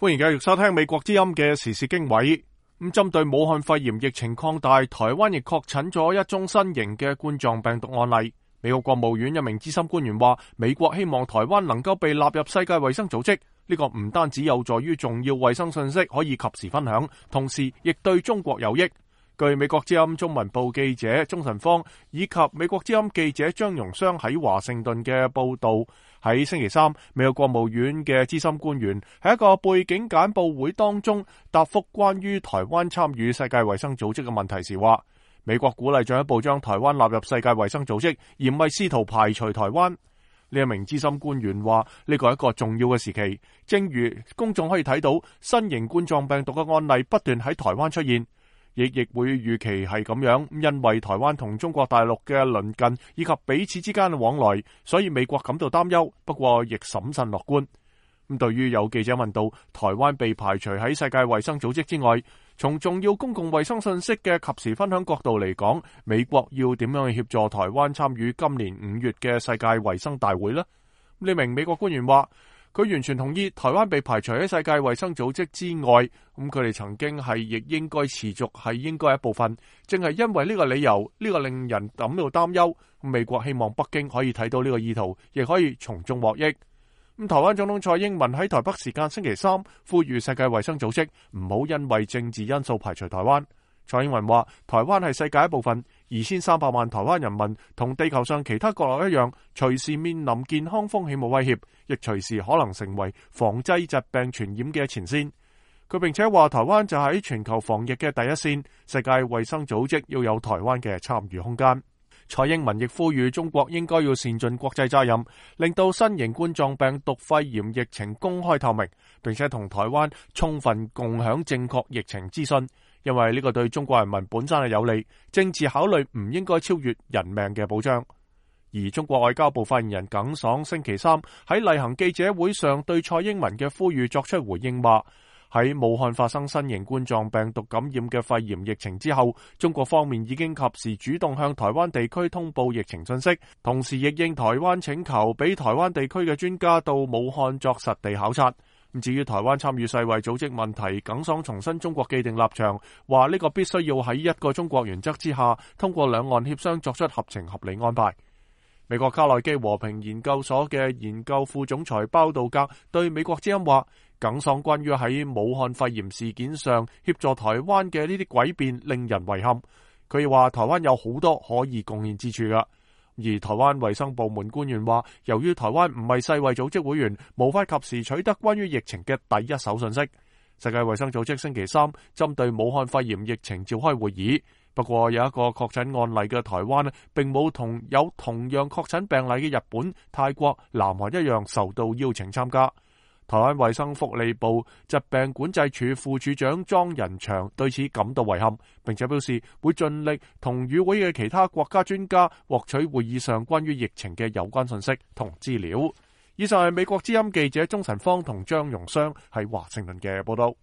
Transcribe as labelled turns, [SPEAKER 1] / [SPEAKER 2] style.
[SPEAKER 1] 歡迎繼續收聽美國之音嘅時事經緯。針對武漢肺炎疫情擴大，台灣亦確診咗一宗新型嘅冠狀病毒案例。美國國務院一名資深官員話，美國希望台灣能夠被納入世界衛生組織，呢個唔單止有助於重要衛生信息可以及時分享，同時亦對中國有益。據美國之音中文部記者鍾晨芳以及美國之音記者張容湘喺華盛頓嘅報道，喺星期三，美國國務院嘅資深官員喺一個背景簡報會當中答覆關於台灣參與世界衛生組織嘅問題時話，美國鼓勵進一步將台灣納入世界衛生組織，而唔係試圖排除台灣。呢一名資深官員話，呢個係一個重要嘅時期，正如公眾可以睇到新型冠狀病毒嘅案例不斷喺台灣出現，亦會預期係咁樣，因為台灣同中國大陸嘅鄰近以及彼此之間嘅往來，所以美國感到擔憂，不過亦審慎樂觀。對於有記者問到台灣被排除喺世界衛生組織之外，從重要公共衛生信息嘅及時分享角度嚟講，美國要點樣去協助台灣參與今年5月嘅世界衛生大會呢？呢名美國官員話，佢完全同意台灣被排除喺世界衛生組織之外，佢哋曾經係亦應該持續係應該一部分，正係因為呢個理由，呢個令人感到擔憂。美國希望北京可以睇到呢個意圖，亦可以從中獲益。台灣總統蔡英文喺台北時間星期三呼籲世界衛生組織唔好因為政治因素排除台灣。蔡英文話，台灣係世界一部分，2300萬台灣人民同地球上其他角落一樣，隨時面臨健康風險冇威脅，亦隨時可能成為防制疾病傳染嘅前線。佢並且話，台灣就喺全球防疫嘅第一線，世界衛生組織要有台灣嘅參與空間。蔡英文亦呼籲中國應該要善盡國際責任，令到新型冠狀病毒肺炎疫情公開透明，並且同台灣充分共享正確疫情資訊，因為呢個對中國人民本身係有利，政治考慮唔應該超越人命嘅保障。而中國外交部發言人耿爽星期三喺例行記者會上對蔡英文嘅呼籲作出回應，話喺武漢發生新型冠狀病毒感染嘅肺炎疫情之後，中國方面已經及時主動向台灣地區通報疫情信息，同時亦應台灣請求，俾台灣地區嘅專家到武漢作實地考察。至於台灣參與世衛組織問題，耿爽重申中國既定立場，話呢個必須要喺一個中國原則之下，通過兩岸協商作出合情合理安排。美國卡內基和平研究所嘅研究副總裁包道格對美國之音話，耿爽關於喺武漢肺炎事件上協助台灣嘅呢啲詭辯令人遺憾。佢話台灣有好多可以貢獻之處㗎。而台灣衛生部門官員話，由於台灣唔係世衛組織會員，無法及時取得關於疫情嘅第一手信息。世界衛生組織星期三針對武漢肺炎疫情召開會議，不過有一個確診案例嘅台灣並冇同有同樣確診病例嘅日本、泰國、南韓一樣受到邀請參加。台灣衛生福利部疾病管制處副處長莊仁祥對此感到遺憾，並且表示會盡力同與會嘅其他國家專家獲取會議上關於疫情嘅有關信息同資料。以上係美國之音記者鍾晨芳同張容湘喺華盛頓嘅報道。